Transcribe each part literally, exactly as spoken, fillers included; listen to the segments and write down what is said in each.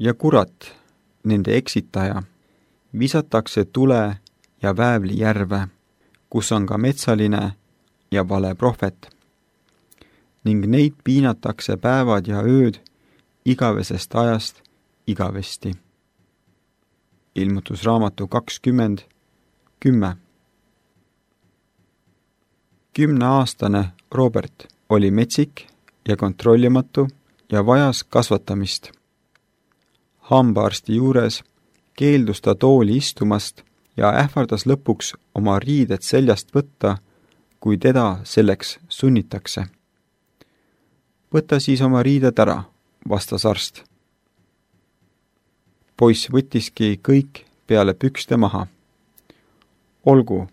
ja kurat, nende eksitaja, visatakse tule ja väävli järve, kus on ka metsaline ja vale prohvet. Ning neid piinatakse päevad ja ööd igavesest ajast igavesti. Ilmutusraamatu kakskümmend, kümme. Kümneaastane Robert oli metsik ja kontrollimatu ja vajas kasvatamist. Hambaarsti juures keeldus ta tooli istumast ja ähvardas lõpuks oma riided seljast võtta, kui teda selleks sunnitakse. Võta siis oma riided ära, vastas arst. Poiss võttiski kõik peale pükste maha. Olgu,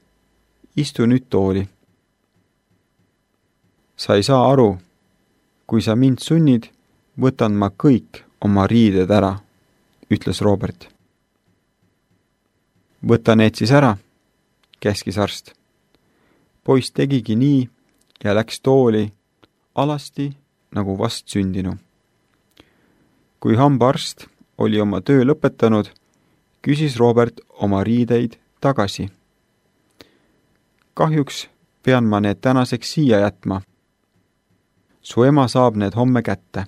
istu nüüd tooli. Sa ei saa aru, kui sa mind sunnid, võtan ma kõik oma riided ära, ütles Robert. Võta need siis ära, käskis arst. Poiss tegigi nii ja läks tooli alasti nagu vast sündinu. Kui hambaarst oli oma töö lõpetanud, küsis Robert oma riideid tagasi. Kahjuks pean ma need tänaseks siia jätma. Su ema saab need homme kätte.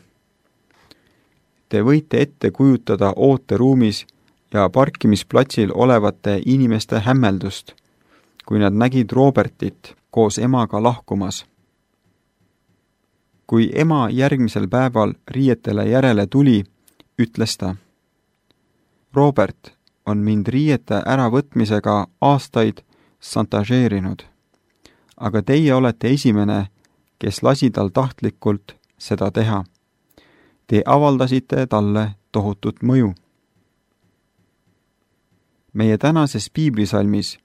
Te võite ette kujutada ooteruumis ja parkimisplatsil olevate inimeste hämmeldust, kui nad nägid Robertit koos emaga lahkumas. Kui ema järgmisel päeval riietele järele tuli, ütles ta: Robert on mind riiete äravõtmisega aastaid šantažeerinud, aga teie olete esimene, kes lasi tal tahtlikult seda teha. Te avaldasite talle tohutut mõju. Meie tänases piiblisalmis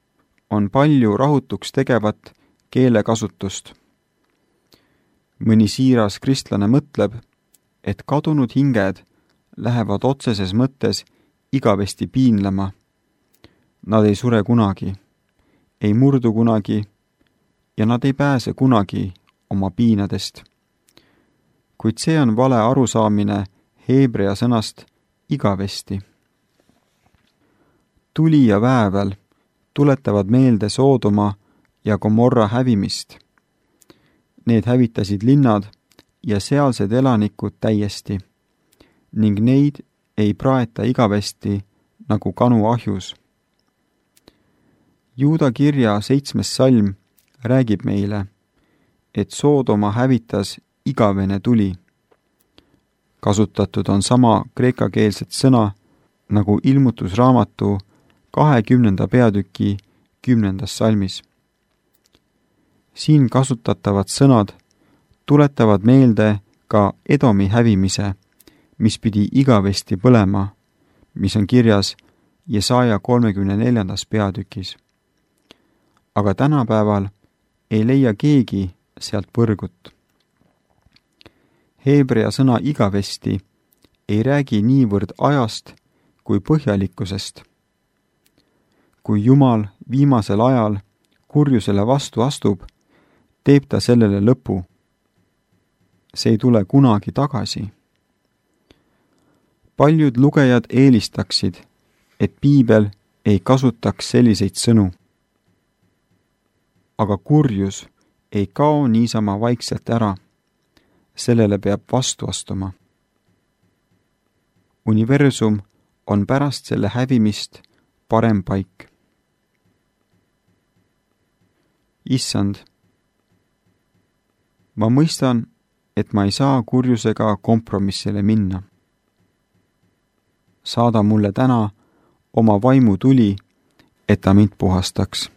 on palju rahutuks tegevat keelekasutust. Mõni siiras kristlane mõtleb, et kadunud hinged lähevad otseses mõttes igavesti piinlema. Nad ei sure kunagi, ei murdu kunagi ja nad ei pääse kunagi oma piinadest. Kuid see on vale arusaamine heebrea sõnast igavesti. Tuli ja väävel tuletavad meelde Soodoma ja Gomorra hävimist. Need hävitasid linnad ja sealsed elanikud täiesti, ning neid ei praeta igavesti nagu kanu ahjus. Juuda kirja seitsmes salm räägib meile, et Soodoma hävitas igavene tuli. Kasutatud on sama kreekakeelset sõna nagu ilmutusraamatu kahekümnenda peatüki kümnendas salmis. Siin kasutatavad sõnad tuletavad meelde ka Edomi hävimise, mis pidi igavesti põlema, mis on kirjas Jesaja kolmekümne neljandas peatükis. Aga tänapäeval ei leia keegi sealt põrgut. Heebrea sõna igavesti ei räägi niivõrd ajast kui põhjalikkusest. Kui Jumal viimasel ajal kurjusele vastu astub, teeb ta sellele lõpu. See ei tule kunagi tagasi. Paljud lugejad eelistaksid, et piibel ei kasutaks selliseid sõnu. Aga kurjus ei kao niisama vaikselt ära. Sellele peab vastu astuma. Universum on pärast selle hävimist parem paik. Issand, ma mõistan, et ma ei saa kurjusega kompromissile minna. Saada mulle täna oma vaimu tuli, et ta mind puhastaks.